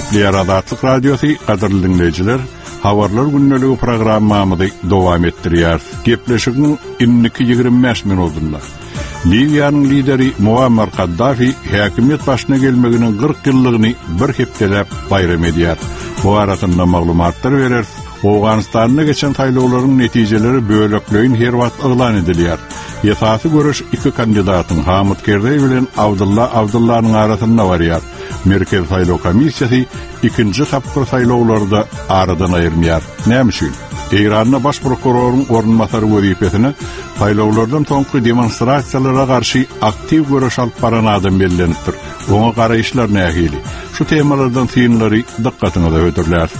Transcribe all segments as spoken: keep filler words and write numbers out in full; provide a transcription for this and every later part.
Gepleýär Azatlyk Radiosy, gadyrly dinleýjiler, Habarlar gündeligi programmamyzy dowam etdirýär. Gepleşigiň indiki ýigrimi bäş minutynda Liwiýanyň lideri Muammar Kaddafi häkimiýet başyna gelmeginiň kyrk ýyllygyny bir hepdeläp baýram edýär. Bu arasynda maglumatlar berer. Owganystanda geçen saýlawlaryň netijeleri bölekleýin her wagt yglan edilýär. Esasy göreş iki kandidatyň Hamid Kerzeý bilen Abdulla Abdullanyň arasynda barýar. Merkez saýlaw komissiýasy ikinji tapgyr saýlawlarda aradan aýyrmaýar. Näme üçin? Eýranda baş prokuroryň orunbasary wezipesine saýlawlardan soňky demonstrasiýalara garşy aktiw göreş alyp baran adam bellenipdir. Oňa garaýyşlar nähili? Şu temalardan synlary dykgatyňyza hödürler.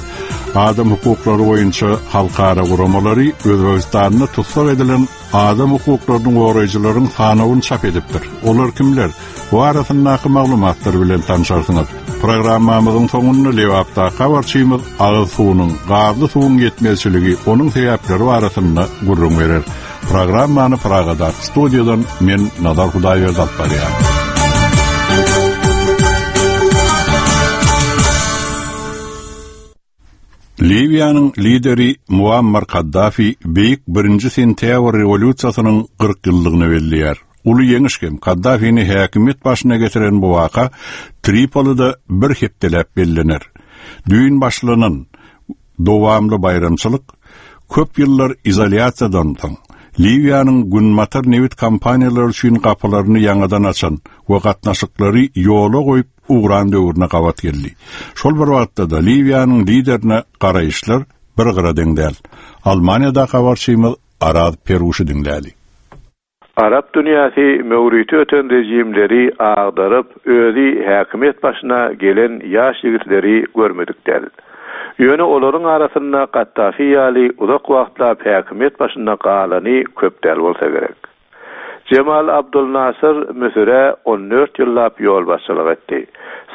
Adam hukuklary boýunça halkara guramalary Özbegistanda tussag edilen adam hukuklaryny goraýjylaryň sanawyny çap edipdir. Olar kimler? Bu arasyndaky maglumatlar bilen tanışarsyňyz. Programmamyzyň soňunda Lebapda habarçymyz agyz suwunyň, gazly suwuň ýetmezçiligi, onuň sebäpleri barasynda gürrüň berer. Programmany Pragada studiýadan men Nazar Hudaýberdi alyp barýan. Liwiýanyň lideri Muammar Kaddafi Beýik birinji sentýabr rewolýusiýasynyň kyrk ýyllygyny belleýär. Uly ýeňiş hem Kaddafini häkimiýet başyna getiren bu waka Tripolide bir hepdeläp bellener. Düýn başlanan dowamly baýramçylyk köp ýyllar izolýasiýadan soň Liwiýanyň Günbatar nebit kompaniýalary üçin gapylaryny ýaňadan açan we gatnaşyklary ýola goýup ugran döwrüne gabat geldi. Şol bir wagtda da Liwiýanyň liderine garaýyşlar bir gyra deň däl. Almaniýada habarçymyz Araz Peruşy diňläli. Arap dünýäsi möwriti öten rejimleri agdaryp, özi häkimiýet başyna gelen ýaş ýigitleri görmedik däl. Ýöne olaryň arasynda Kaddafi ýaly uzak wagtlap häkimiýet başynda galany köp däl bolsa gerek. Cemal Abdul Nasır Müsüre on dört ýyllap ýolbaşçylyk etdi.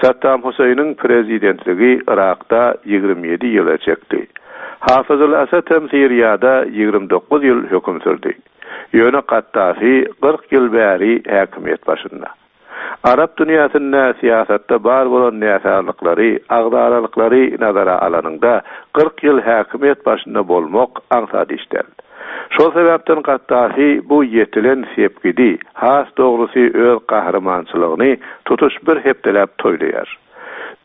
Saddam Hüseýiniň prezidentligi Irakda ýigrimi ýedi ýyla çekdi. Hafızul Asad hem Siriýada ýigrimi dokuz ýyl höküm sürdi. Ýöne Kaddafi kyrk ýyl bäri häkimiýet başynda. Arap dünýäsinde siýasatda bar bolan näsazlyklary, agzalalyklary nazara alanyňda kyrk ýyl häkimiýet başynda bolmak aňsat iş däl. Şol sebäpden Kaddafi bu ýetilen sepgidi, has dogrusy öz gahrymançylygyny tutuş bir hepdeläp toýlaýar.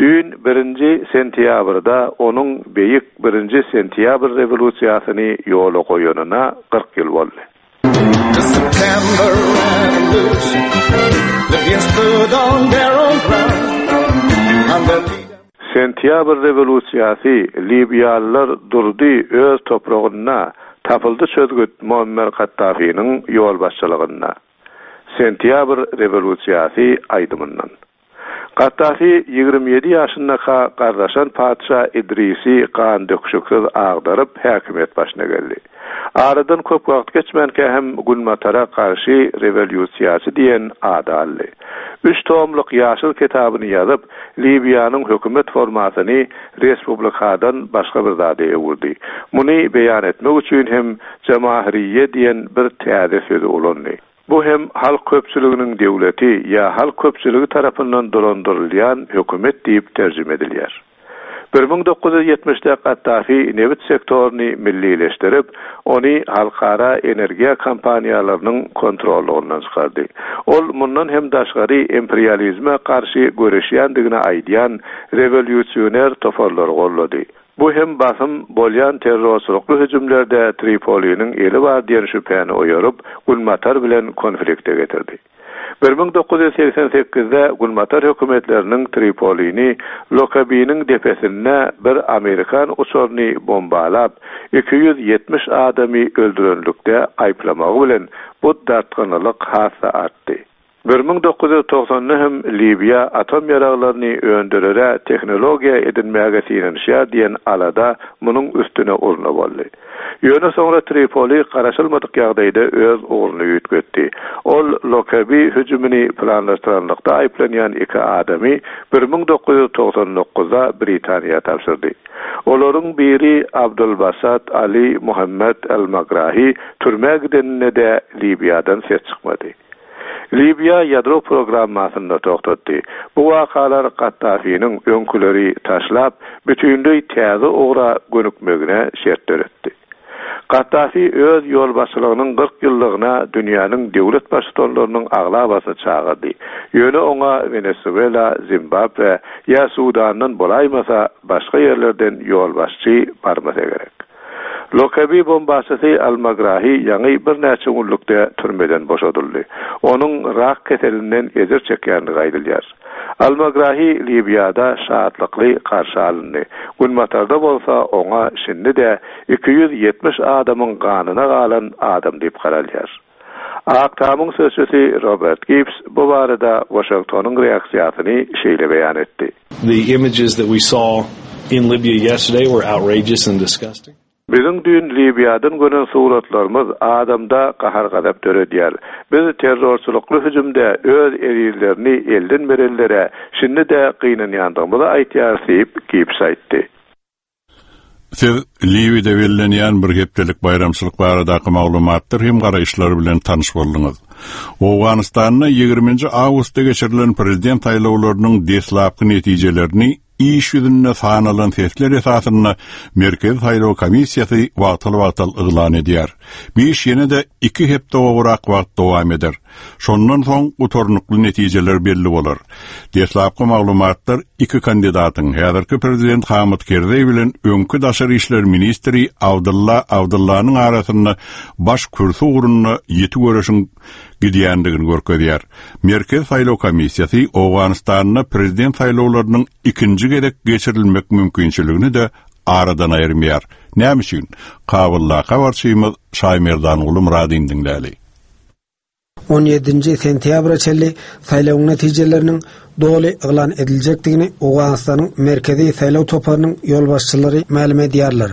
Düýn birinji sentýabrda onuň Beýik birinji sentýabr rewolýusiýasyny ýola goýanyna kyrk ýyl boldy. The September Revolution, Libyans stood on their own ground. And their leader Sentýabr rewolýusiýasy Liwiýalylar durdy öz topragynda tapyldy çözgüt Muammar Kaddafiniň ýolbaşçylygynda. Sentýabr rewolýusiýasy aýdymyndan. Kaddafi ýigrimi ýedi ýaşyndaka gardaşan patyşa Idrisi gan döküşiksiz agdaryp häkimiýet başyna geldi. Aradan köp wagt geçmänkä hem Günbatara garşy rewolýusiýaçy diýen ady aldy. Üç tomluk ýaşyl kitabyny ýazyp, Liwiýanyň hökümet formasyny respublikadan başga bir zada öwürdi. Muny beýan etmek üçin hem Jamahiriýe diýen bir täze sözi ulandy. Bu hem halk köpçüliginiň döwleti ýa halk köpçüligi tarapyndan dolandyrylýan hökümet diýip terjime edilýär. Bir müň dokuz ýüz ýetmişde Kaddafi nebit sektoryny millileşdirip, ony halkara energiýa kompaniýalarynyň kontrollugyndan çykardy. Ol mundan hem daşgary imperializme garşy göreşýändigini aýdýan rewolýusioner toparlary gollady. Bu hem basym bolýan terrorçylykly hüjümlerde Tripoliniň eli bar diýen şübhäni oýaryp, Günbatar bilen konflikte getirdi. Bir müň dokuz ýüz seksen sekizde Günbatar hökümetleriniň Tripolini Lokabiniň depesinde bir Amerikan uçaryny bombalap, iki ýüz ýetmiş adamy öldürenlikde aýyplamagy bilen bu dartgynlyk has-da artdy. Bir müň dokuz ýüz togsanda hem Liwiýa atom ýaraglaryny öndürere tehnologiýa edinmäge synanyşýar diýen alada munuň üstüne urna boldy. Ýöne soňra Tripoli garaşylmadyk ýagdaýda öz ugruny üýtgetdi. Ol Lokabi hüjümini planlaşdyranlykda aýyplanýan iki adamy bir müň dokuz ýüz togsan dokuzda Britaniýa tabşyrdy. Olaryň biri Abdulbasat Ali Muhammed El-Magrahi türmä gideninde de Liwiýadan ses çykmady. Liwiýa ýadro programmasyny togtatdy. Bu wakalar Gaddafiniň öňküleri taşlap, bütünleý täze ugra gönükmegine şert döretdi. Gaddafi öz ýolbaşçylygynyň kyrk ýyllygyna dünýäniň döwlet baştutanlarynyň aglabasyny çagyrdy. Ýöne oňa Wenesuela, Zimbabwe ýa Sudandan bolaýmasa başga ýerlerden ýolbaşçy barmasa gerek. Lokabi bombaçysy Al-Magrahi ýaňy birnäçe günlükde türmeden boşadyldy. Onuň rak keselinden ejir çekýändigi aýdylýar. Al-Magrahi Liwiýada şatlykly garşy alyndy. Günbatarda bolsa oňa şindi-de iki ýüz ýetmiş adamyň ganyna galan adam diýip garalýar. Ak Tamyň sözçüsi Robert Gibbs bu barada Washingtonyň reaksiýasyny şeýle beýan etdi. The images that we saw in Libya yesterday were outrageous and disgusting. Biziň düýn Liwiýadan gören suratlarymyz adamda gahar-gazap döredýär. Biz terrorçylykly hüjümde öz ezizlerini elden berenlere şindi-de gynanýandygymyzy aýtýarys diýip Gibbs aýtdy. Siz Liwiýada bellenýän bir hepdelik baýramçylyk baradaky maglumatlar hem garaýyşlar bilen tanyş bolduňyz. Owganystanda ýigriminji awgustda geçirilen prezident saýlawlarynyň deslapky netijelerini iş ýüzünde sanalan sesler esasynda Merkezi Saýlaw Komissiýasy wagtal-wagtal yglan edýär. Bu iş ýene-de iki hepde gowrak wagt dowam eder. Şondan soň gutarnykly netijeler belli bolar. Deslapky maglumatlar iki kandidatyň, häzirki prezident Hamid Kerzeý bilen öňki daşary işler ministri Abdulla Abdullanyň arasynda baş kürsi ugrunda ýiti göreşiň gidýändigini görkezýär. Merkezi Saýlaw Komissiýasy Owganystanda prezident saýlawlarynyň ikinji gezek geçirilmek mümkinçiligini-de aradan aýyrmaýar. Näme üçin? Kabuldaky habarçymyz Şaýmerdanguly Myradin diňläli. On ýedinji sentýabra çenli saýlawyň netijeleriniň doly yglan ediljekdigini Owganystanyň Merkezi Saýlaw toparynyň ýolbaşçylary mälim edýärler.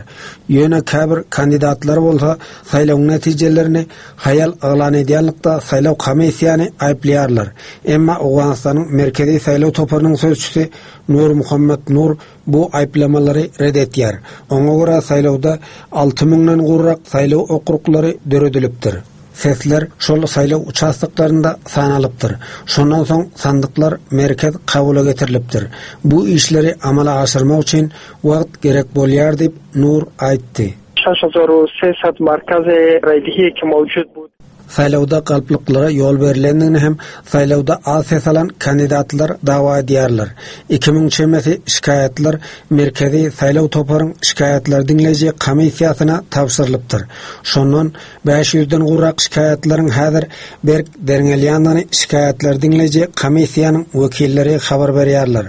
Ýöne käbir kandidatlar bolsa saýlawyň netijelerini haýal yglan edýänlikde saýlaw komissiýany aýyplaýarlar. Emma Owganystanyň Merkezi Saýlaw toparynyň sözçüsi Nur Muhammed Nur bu aýyplamalary red etýär. Oňa görä saýlawda alty müňden gowrak saýlaw okruglary döredilipdir. Sesler şol saýlaw uçastoklarynda sanalypdyr. Şondan soň sandyklar merkez kabula getirilipdir. Bu işleri amala aşyrmak üçin wagt gerek bolýar diýip Nur aýtdy. şeş hezar و sesad merkez raydihi ki mevcud bud. Saýlawda galplyklara ýol berilendigini hem saýlawda az ses alan kandidatlar dawa edýärler. Iki müň çemesi şikaýatlar Merkezi Saýlaw toparyň şikaýatlar diňleýji komissiýasyna tabşyrylypdyr. Şondan bäş ýüzden gowrak şikaýatlaryň häzir berk derňelýändigini şikaýatlar diňleýji komissiýanyň wekilleri habar berýärler.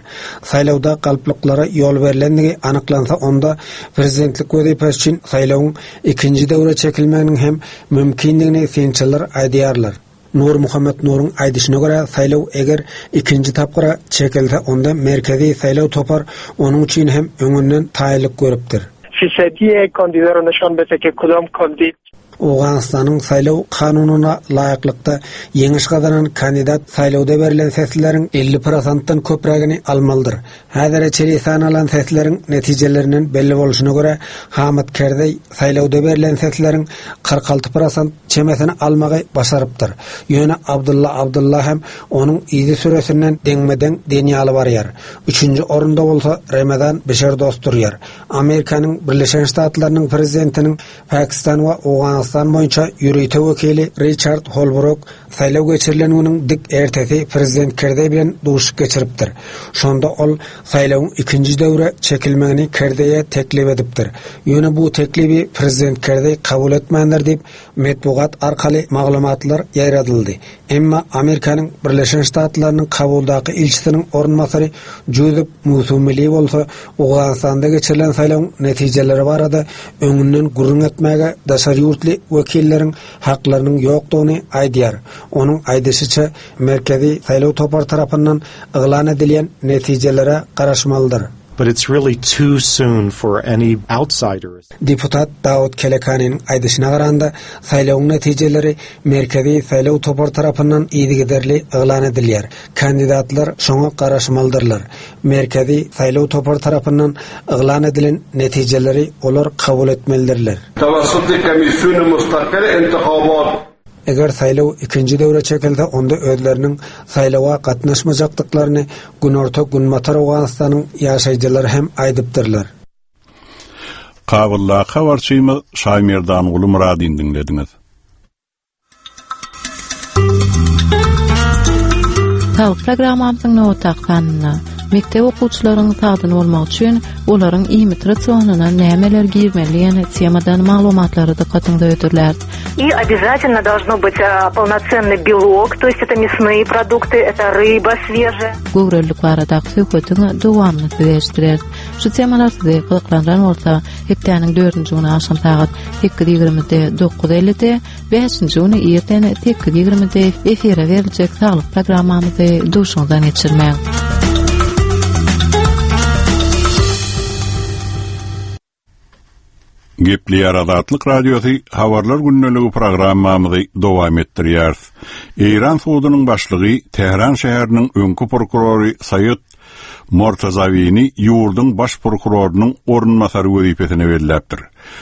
Saýlawda galplyklara ýol berilendigi anyklansa onda prezidentlik wezipesi üçin saýlawyň ikinji döwre çekilmeginiň hem mümkindigini synçylar aýdýarlar. Nur Muhammed Nuruň aýdyşyna görä saýlaw eger ikinji tapgyra çekilse onda Merkezi Saýlaw topar onuň üçin hem öňünden taýýarlyk görüpdir. Fisadiye kandidara nişan bete ki kudam kandid Owganystanyň saýlaw kanunyna laýyklykda ýeňiş gazanan kandidat saýlawda berlen sesleriň elli prosentden köprägini almalydyr. Häzire çenli sanalan sesleriň netijelerinden belli bolşuna görä Hamid Kerzeý saýlawda berlen sesleriň kyrk alty prosent çemesini almagy başarypdyr. Ýöne Abdulla Abdulla hem onuň yzy süresinden deňme-deň diýen ýaly barýar. Üçünji orunda bolsa Ramazan Bişerdost durýar. Amerikanyň Birleşen Ştatlarynyň prezidentiniň Pakistan we Owganystan boýunça ýörite wekili Richard Holbrooke saýlaw geçirilen günüň dik ertesi prezident Kerzeý bilen duşuşyk geçiripdir. Şonda ol saýlawyň ikinji döwre çekilmegini Kerzeýe teklip edipdir. Ýöne bu teklibi prezident Kerzeý kabul etmändir diýip metbugat arkaly maglumatlar ýaýradyldy. Emma Amerikanyň Birleşen Ştatlarynyň Kabuldaky ilçisiniň orunbasary Jozef Musumili bolsa Owganystanda geçirilen saýlawyň netijeleri barada öňünden gürrüň etmäge daşary ýurtly wekilleriň haklarynyň ýokdugyny aýdýar. Onuň aýdyşyça Merkezi Saýlaw topary tarapyndan yglan edilýän netijelere garaşmalydyr. But it's really too soon for any outsiders. Deputat Dawud Kelekanyň aýdyşyna garanda saýlawyň netijeleri Merkezi Saýlaw topary tarapyndan yzygiderli yglan edilýär. Kandidatlar şoňa garaşmalydyrlar. Merkezi Saýlaw topary tarapyndan yglan edilen netijeleri olar kabul etmelidirler. Tawassuti komissiýony mustakil intihabat. Eger saýlaw ikinji döwre çekilse, onda özleriniň saýlawa gatnaşmajakdyklaryny Günorta Günbatar Owganystanyň ýaşaýjylary hem aýdypdyrlar. Kabuldaky habarçymyz Şaýmerdanguly Myradyny diňlediňiz. Saglyk programmamyzyň nobatdaky sanynda mekdep okuwçylaryň sagdyn bolmagy üçin olaryň iýmit rasionyna nämeler girmeli diýen temadan maglumatlary dykgatyňyza hödürläris. И обязательно должно быть а, полноценный белок, то есть это мясные продукты, это рыба свежая. Göwrelilik baradaky söhbetiň dowamyny size eşitdireris. Şu temalar sizi gyzyklandyran bolsa, hepdäniň dördünji güni agşam sagat sekiz ýigrimide dokuz ellide, bäşinji güni irden sekiz ýigrimide efire beriljek saglyk programmamyzy duşuňyzdan geçirmäň. Gepleýär Azatlyk Radiosy Habarlar gündeligi programmamyzy dowam etdirýär. Eýran sudunyň başlygy Tähran şäheriniň öňki prokurory Saýid Mortazawini ýurduň baş prokurorynyň orunbasary wezipesine belläpdir.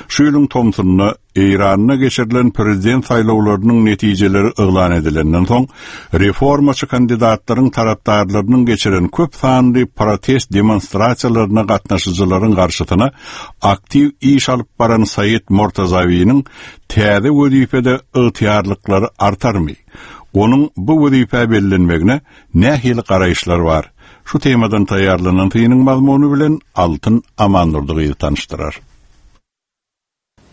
Şu ýylyň tomsunda Eýranda geçirilen prezident saýlawlarynyň netijeleri yglan edilenden soň reformaçy kandidatlaryň tarapdarlarynyň geçiren köp sanly protest demonstrasiýalaryna gatnaşyjylaryň garşysyna aktiw iş alyp baran Saýid Mortazawiniň täze wezipede ygtyýarlyklary artarmy? Onuň bu wezipä bellenmegine nähili garaýyşlar bar? Şu temadan taýýarlanan synyň mazmuny bilen Altyn Amandurdy tanyşdyrar.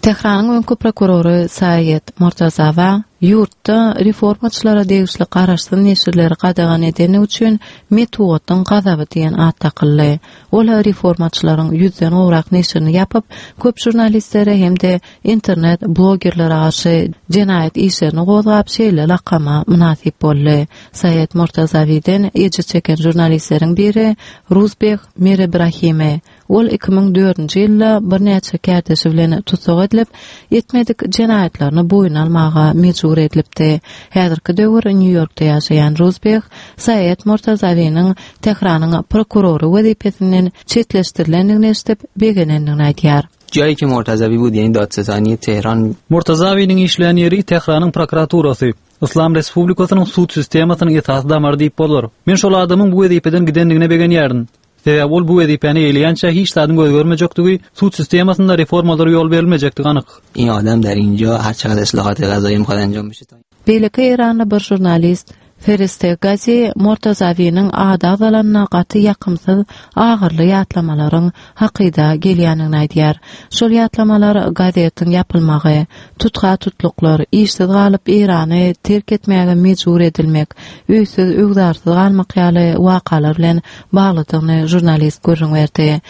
Tähranyň öňki prokurory Saýid Mortazawa ýurtda reformaçylara degişli garaşsyz neşirleri gadagan edeni üçin metbugatyň gazaby diýen at dakyldy. Ol reformaçylaryň ýüzden gowrak neşirini ýapyp, köp žurnalistlere hem-de internet blogerlere garşy jenaýat işlerini gozgap şeýle lakama mynasyp boldy. Saýid Mortazawiden ejir çeken žurnalistleriň biri Ruzbeh Mirebrahimi. Ol iki müň dördünji ýylda birnäçe kärdeşi bilen tussag edilip, etmedik jenaýatlaryny boýun almaga mejbur edilipdi. Häzirki döwür Nýu-Ýorkda ýaşaýan Ruzbeh Saýid Mortazawiniň Tähranyň prokurory wezipesinden çetleşdirilendigini eşidip begenendigini aýdýar. Joýi ki Mortazawi bud, ýani dadsetani Tehran. Mortazawiniň işleýän ýeri Tähranyň prokuraturasy. Islam Respublikasynyň sud sistemasynyň esasy damary diýip bolar. Men şol adamyň bu wezipeden gidendigine begenýärin. Sebäbi ol bu wezipäni eýleýänçä hiç zadyň göz görmejekdigi, sud sistemasynda reformalara ýol berilmejekdigi anyk. In adam der inja her çeqadar islahat qazایی mikhad anjam bişe ta Beýleki Eýranly bir žurnalist Feriste Gazi Mortazawiniň ady agzalanyna gaty ýakymsyz agyrly ýatlamalaryň hakyda gelýändigini aýdýar. Şol ýatlamalar gazetiň ýapylmagy, tutga tutluklar, işsiz galyp Eýrany terk etmäge mejbur edilmek, öýsüz öwzarsyz galmak ýaly wakalar bilen baglydygyny žurnalist gürrüň berdi.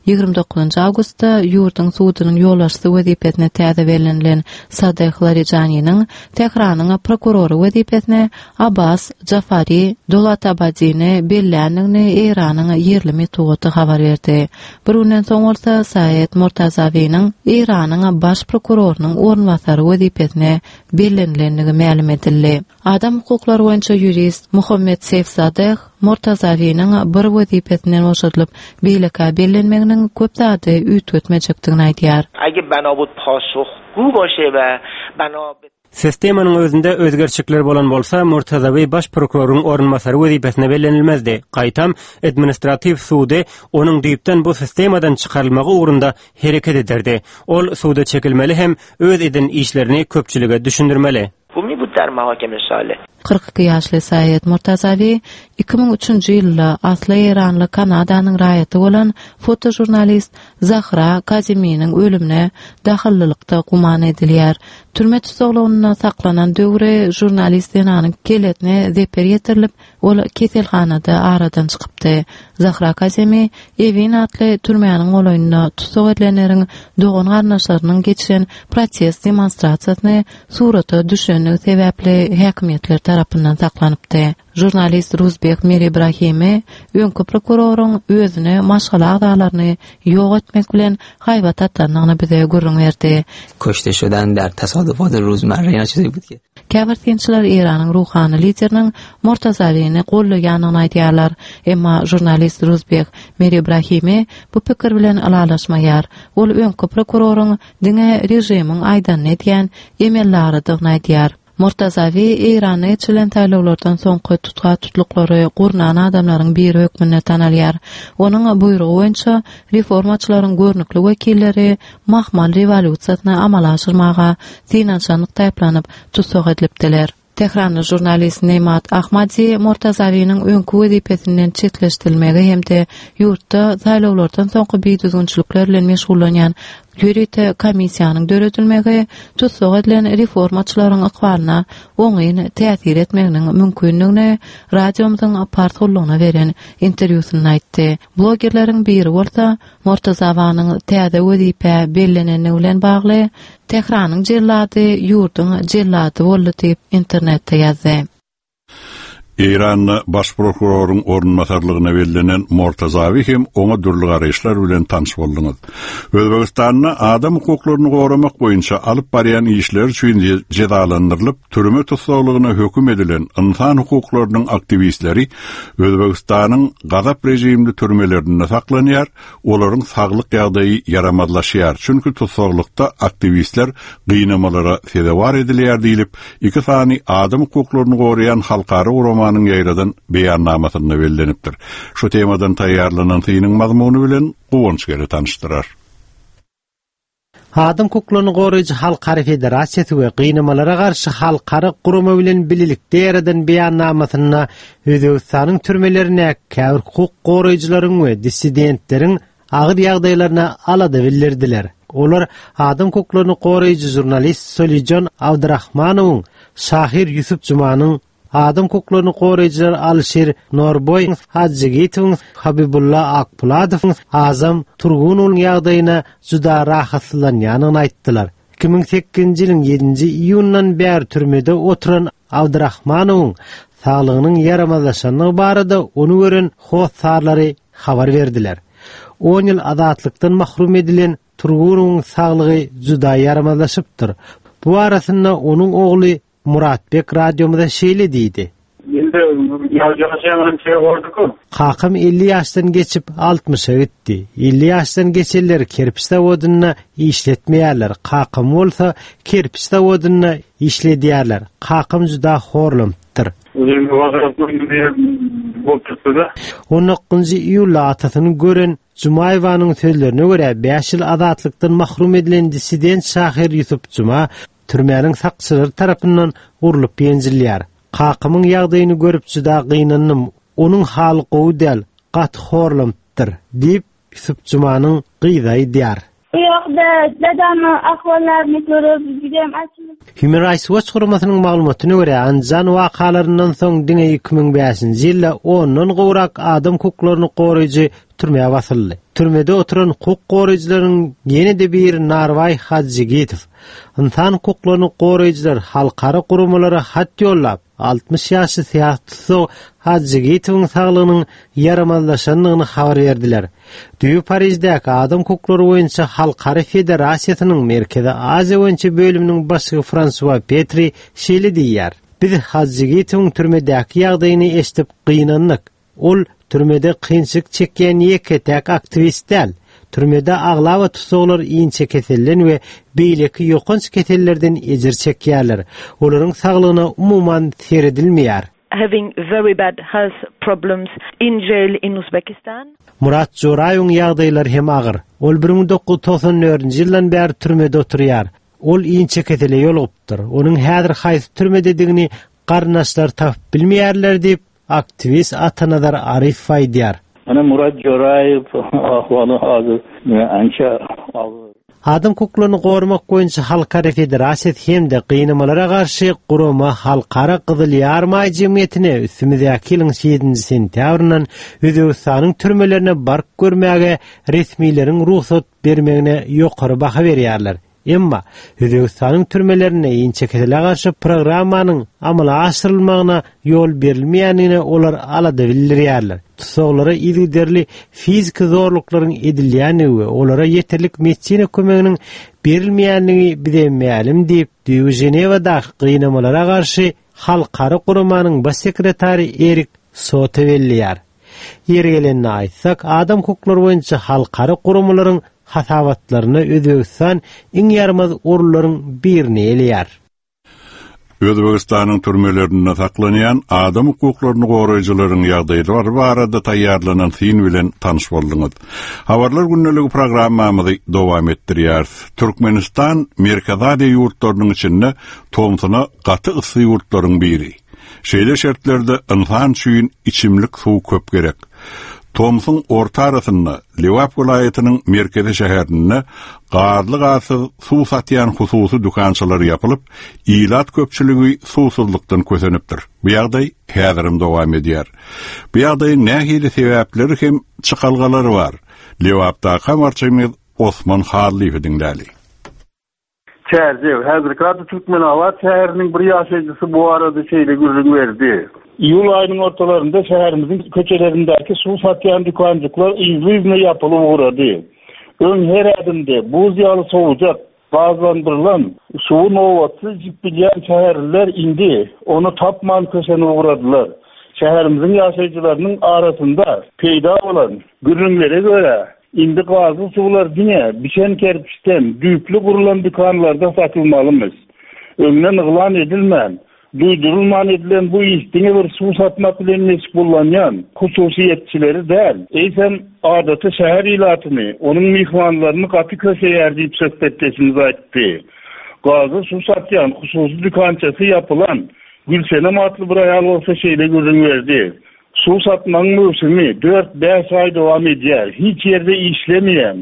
Ýigrimi dokuzynjy awgustda ýurduň sudunyň ýolbaşçysy wezipesine täze bellenilen Sadeh Larijaniniň Tähranyň prokurory wezipesine Abbas Jafari Dolatabadini belländigini Eýranyň ýerli metbugaty habar berdi. Bir günden soň bolsa Saýid Mortazawiniň Eýranyň baş prokurorynyň orunbasary wezipesine bellenilendigi mälim edildi. Adam hukuklary boýunça ýurist Muhammed Seýfzadeh Mortazawiniň bir wezipesinden boşadylyp beýleki bellenmeginiň köp zady üýtgetmejekdigini aýdýar. Agar bana bud pasuhgu başe we bana be Sistemanyň özünde özgerçikler bolan bolsa Mortazawi baş prokuroryň orunbasary wezipesine bellenilmezdi. Gaýtam administratiw sudy onuň düýpden bu sistemadan çykarylmagy ugrunda hereket ederdi. Ol suda çekilmeli hem öz eden işlerini köpçülige düşündirmeli. Humi bu der mahakeme sale. Kyrk iki ýaşly Saýid Mortazawi iki müň üçünji ýylda asly Eýranly Kanadanyň raýaty bolan fotožurnalist Zahra Kaziminiň ölümine dahyllylykda guman edilýär. Türme tutuklygynda saklanan döwri žurnalist zenanyň keletine zeper ýetirilip, ol keselhanada aradan çykypdy. Zahra Kazimi Evin atly türmäniň golaýynda tussag edilenleriň dogan garyndaşlarynyň geçiren protest demonstrasiýasyny surata düşenligi sebäpli häkimiýetler tarapyndan saklanypdy. Žurnalist Ruzbeh Miribrahimi öňki prokuroryň özüne maşgala agzalaryny ýok etmek bilen haýbat atandygyny bize gürrüň berdi. Kuşte şudan der tasodifat ro'zmarra ýa çizi bud ki Käbir synçylar Eýranyň ruhany lideriniň Mortazawini gollaýanyny aýdýarlar. Emma žurnalist Ruzbeh Miribrahimi bu pikir bilen ylalaşmaýar. Ol öňki prokuroryň diňe režimiň aýdanyny edýän emellardygyny aýdýar. Mortazawi Eýranda geçirilen saýlawlardan soňky tutga-tutluklary gurnan adamlaryň biri hökmünde tanalýar. Onuň buýrugy boýunça reformaçylaryň görnükli wekilleri mahmal rewolýusiýasyny amala aşyrmaga synanyşanlykda aýyplanyp tussag edilipdiler. Tähranly žurnalist Nemat Ahmadi Mortazawiniň öňki wezipesinden çetleşdirilmegi hem-de ýurtda saýlawlardan soňky bidüzgünçilikler bilen meşgullanýan ýörite komissiýanyň döredilmegi tussag edilen reformaçylaryň ykbalyna oňyn täsir etmeginiň mümkindigini radiomyzyň pars gullugyna beren interwýusynda aýtdy. Blogerleriň biri bolsa Mortazawanyň täze wezipä bellenenligi bilen bagly Tähranyň jellady ýurduň jellady boldy diýip internetde ýazdy. Eýranda baş prokuroryň orunbasarlygyna bellenen Mortazawi hem oňa dürli garaýyşlar bilen tanyş bolduňyz. Özbegistanda adam hukuklaryny goramak boýunça alyp barýan işler üçin jezalandyrylyp, türme tussaglygyna höküm edilen insan hukuklarynyň aktiwistleri Özbegistanyň gazap rejimli türmelerinde saklanýar, olaryň saglyk ýagdaýy ýaramazlaşýar. Çünki tussaglykda aktiwistler gynamalara sezewar edilýär diýlip, iki sany adam hukuklaryny goraýan halkara guramanyň ýaýradan beýannamasynda bellenipdir. Şu temadan taýýarlanan synyň mazmuny bilen Guwanç geri tanyşdyrar. Adam hukuklaryny goraýjy Halkara Federasiýasy we gynamalara garşy halkara gurama bilen birlikde ýaradan beýannamasynda Özbegistanyň türmelerine käbir hukuk goraýjylaryň we dissidentleriň agyr ýagdaýlaryna alada bildirdiler. Olar adam hukuklaryny goraýjy žurnalist Solijon Abdurrahmanowyň, şahyr Ýusuf Jumanyň, adam hukuklaryny goraýjylar Alşir Norboý Hajygitowyň, Habibulla Akpuladowyň, Azam Turgunowyň ýagdaýyna juda rahatsyzlanýanyny aýtdylar. iki müň sekizinji ýylyň ýedinji iýundan bäri türmede oturan Abdurrahmanowyň saglygynyň ýaramazlaşanlygy barada ony gören hossarlary habar berdiler. On ýyl azatlykdan mahrum edilen Turgunowyň saglygy juda ýaramazlaşypdyr. Bu arasynda onuň ogly Muratbek radiomyza şeýle diýdi. Kakam elli ýaşdan geçip altmyşa gitdi. Elli ýaşdan geçenler kerpiç zawodynda işletmeýärler. Kakam bolsa kerpiç zawodynda işledýärler. Kakam juda horlanypdyr. On dokuzynjy iýulda atasyny gören Jumaýewanyň sözlerine görä, bäş ýyl azatlykdan mahrum edilen dissident şahyr Ýusuf Juma türmäniň sakçylary tarapyndan urlup ýenjilýär. Kakamyň ýagdaýyny görüp juda gynandym. Onuň haly gowy däl, gaty horlanypdyr, diýip, Ýusuf Jumanyň gyzy aýdýar. Bu ýagda dadamyň ahwallaryny görüp, jüdem açylyp. Human Rights Watch guramasynyň maglumatyna görä, Andijan wakalaryndan soň diňe iki müň bäşinji ýylda ondan gowrak adam hukuklaryny goraýjy türmä basyldy. Türmede oturan hukuk goraýjylaryň ýene-de biri Narbaý Hajygitow. Ynsan hukuklaryny goraýjylar halkara guramalara hat ýollap, altmyş ýaşly syýasy tussag Hajygitowyň saglygynyň ýaramazlaşandygyny habar berdiler. Düýbi Pariždäki adam hukuklary boýunça Halkara Federasiýasynyň Merkezi Aziýa boýunça bölüminiň başlygy Fransua Petri şeýle diýýär: Biz Hajygitowyň türmedäki ýagdaýyny eşidip gynandyk. Ol türmede kynçylyk çekýän ýeke-täk aktiwist däl. Türmede aglaba tussaglar inçe keselden we beýleki ýokanç kesellerden ejir çekýärler. Olaryň saglygyna umuman seredilmeýär. Having very bad health problems in jail in Uzbekistan. Murat Joraýewiň ýagdaýlary hem agyr. Ol bir müň dokuz ýüz togsan dördünji ýyldan bäri türmede oturýar. Ol inçe kesele ýolugypdyr. Onuň häzir haýsy türmededigini garyndaşlar tapyp bilmeýärler diýip, aktiwist Atanazar Arif aýdýar. Ana Murat Joraýew ahwaly hazır ança agyr. Adam hukuklaryny goramak boýunça Halkara Federasiýasy hem-de gynamalara garşy gurama Halkara Gyzyl Ýarymaý jemgyýetine üstümizdäki ýylyň ýedinji sentýabryndan Özbegistanyň türmelerine baryp görmäge resmileriň rugsat bermegine ýokary baha berýärler. Emma Özbegistanyň türmelerinde inçe kesele garşy programmanyň amala aşyrylmagyna ýol berilmeýändigine olar alada bildirýärler. Tussaglara yzygiderli fiziki zorluklaryň edilýändigi we olara ýeterlik medisina kömeginiň berilmeýändigi bize mälim diýip, düýbi Ženewadaky gynamalara garşy Halkara guramanyň baş sekretary Erik Soto belleýär. Ýeri gelende aýtsak, adam hukuklary boýunça halkara guramalaryň hasabatlarynda Özbegistan iň ýaramaz orunlaryň birini eýeleýär. Özbegistanyň türmelerinde saklanýan adam hukuklaryny goraýjylaryň ýagdaýlary barada taýýarlanan syn bilen tanyş bolduňyz. Habarlar gündeligi programmamyzy dowam etdirýäris. Türkmenistan Merkezi Aziýa ýurtlarynyň içinde tomsuna gaty yssy ýurtlaryň biri. Şeýle şertlerde ynsan üçin içimlik suw köp gerek. Tomsuň orta arasynda Lebap welaýatynyň merkezi şäherinde gazly gazsyz suw satýan hususy dükançalar ýapylyp, ilat köpçüligi suwsuzlykdan kösenipdir. Bu ýagdaý häzirem dowam edýär. Bu ýagdaýyň nähili sebäpleri hem çykalgalary bar? Lebapdaky habarçymyz Osman Hallyýewi diňläli. Çärjew, häzirki ady Türkmenabat şäheriniň bir ýaşaýjysy bu barada şeýle gürrüň berdi. Iýul aýynyň ortalarynda şäherimiziň köçelerindäki suw satýan dükanjyklar yzly-yzyna ýapylyp ugrady. Öň her ädimde buz ýaly sowujak, gazlandyrylan suwy nobatsyz içip bilýän şäherliler indi ony tapman kösenip ugradylar. Şäherimiziň ýaşaýjylarynyň arasynda peýda bolan gürrüňlere görä, indi gazly suwlar diňe bişen kerpiçden düýpli gurulan dükanlarda satylmalymyş. Öňden yglan edilmän, duýdurylman edilen bu iş diňe bir suw satmak bilen meşgullanýan hususyýetçileri däl, eýsem adaty şäher ilatyny, onuň myhmanlaryny gaty köseýär diýip söhbetdeşimiz aýtdy. Gazly suw satýan hususy dükançasy ýapylan Gülsenem atly bir aýal bolsa şeýle gürrüň berdi. Suw satmagyň möwsümi dört-bäş aý dowam edýär. Hiç ýerde işlemeýän.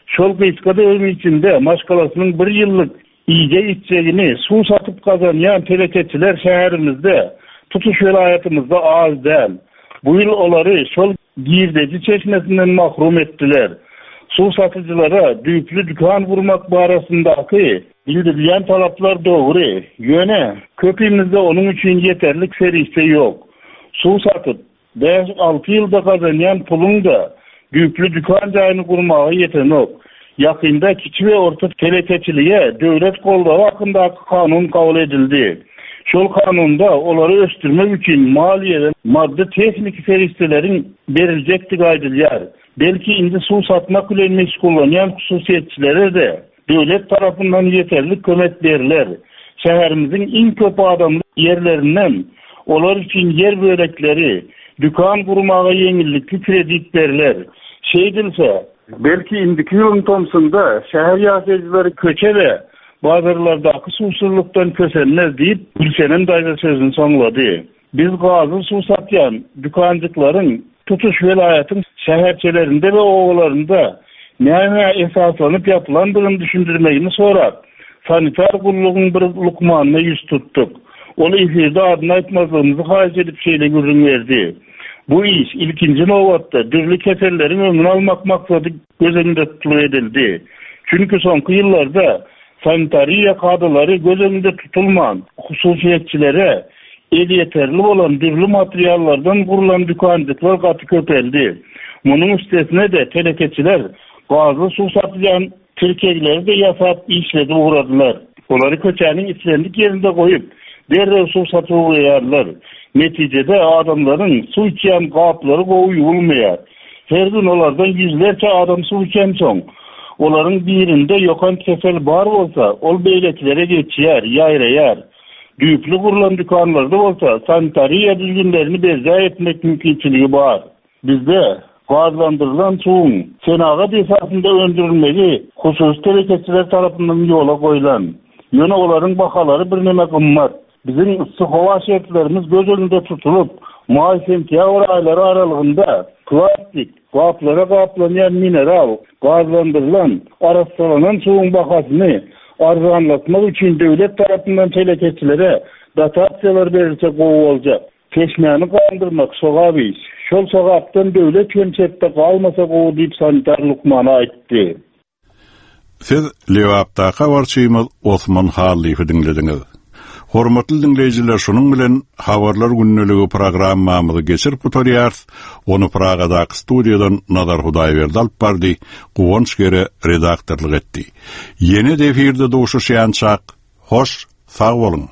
Şol gysga döwrüň içinde maşgalasynyň bir ýyllyk iýjek-içjegini suw satyp gazanýan telekeçiler şäherimizde, tutuş welaýatymyzda az däl. Bu ýyl olary şol girdeji çeşmesinden mahrum etdiler. Suw satyjylara düýpli dükan gurmak barasyndaky bildirilýän talaplar dogry. Ýöne köpimizde onuň üçin ýeterlik serişde ýok. Suw satyp, bäş-alty ýylda gazanýan puluň-da düýpli dükan jaýyny gurmaga ýetenok. Ýakynda kiçi we orta telekeçilige döwlet goldawy hakyndaky kanun kabul edildi. Şol kanunda olary ösdürmek üçin maliýe we maddy-tehniki serişdeleriň beriljekdigi aýdylýar. Belki indi suw satmak bilen meşgullanýan hususyýetçilere-de döwlet tarapyndan ýeterlik kömek berler. Şäherimiziň iň köp adamly ýerlerinden olar üçin ýer bölekleri, dükan gurmaga ýeňillikli kredit berler. Şeýdilse, belki indiki ýylyň tomsunda şäher ýaşaýjylary köçe we bazarlardaky suwsuzlykdan kösenmez diýip, Gülsenem daýza sözüni soňlady. Biz gazly suw satýan dükanjyklaryň tutuş welaýatyň şäherçelerinde we obalarynda nämä esaslanyp ýapylandygyny düşündirmegini sorap, sanitar gullugyň bir lukmanyna ýüz tutduk. Ol efirde adyny aýtmazlygymyzy haýyş edip şeýle gürrüň berdi. Bu iş ilkinji nobatda dürli keselleriň öňüni almak maksady göz öňünde tutulyp edildi. Çünki soňky ýyllarda sanitariýa kadalary göz öňünde tutulman, hususyýetçilere elýeterli bolan dürli materiallardan gurulan dükanjyklar gaty köpeldi. Munuň üstesine-de telekeçiler gazly suw satylýan tirkegleri-de ýasap işledip ugradylar. Olary köçäniň islendik ýerinde goýup, derrew suw satyp ugraýarlar. Netijede adamlaryň suw içýän gaplary gowy ýuwulmaýar. Her gün olardan ýüzlerçe adam suw içensoň, olaryň birinde ýokanç kesel bar bolsa, ol beýlekilere geçýär, ýaýraýar. Düýpli gurulan dükanlarda bolsa sanitariýa düzgünlerini berjaý etmek mümkinçiligi bar. Bizde gazlandyrylan suwuň senagat esasynda öndürilmegi hususy telekeçiler tarapyndan ýola goýlan. Ýöne olaryň bahalary birneme gymmat. Biziň yssy howa şertlerimiz göz öňünde tutulyp, maý-sentýabr aýlary aralygynda plastik gaplara gaplanýan mineral, gazlandyrylan, arassalanan suwuň bahasyny arzanlatmak üçin döwlet tarapyndan telekeçilere dotasiýalar berilse gowy boljak. Çeşmäni gandyrmak sogap iş. Şol sogapdan döwlet hem çetde galmasa gowy diýip sanitar lukmany aýtdy. Siz Lebapdaky habarçymyz Osman Hallyýewi diňlediňiz. Hormatly diňleýjiler, şunuň bilen Habarlar gündeligi programmamyzy geçirip gutarýarys. Ony Pragadaky studiýadan Nazar Hudaýberdi alyp bardy, Guwanç Gere redaktorlyk etdi. Ýene-de efirde duşuşýançak, hoş, sag boluň.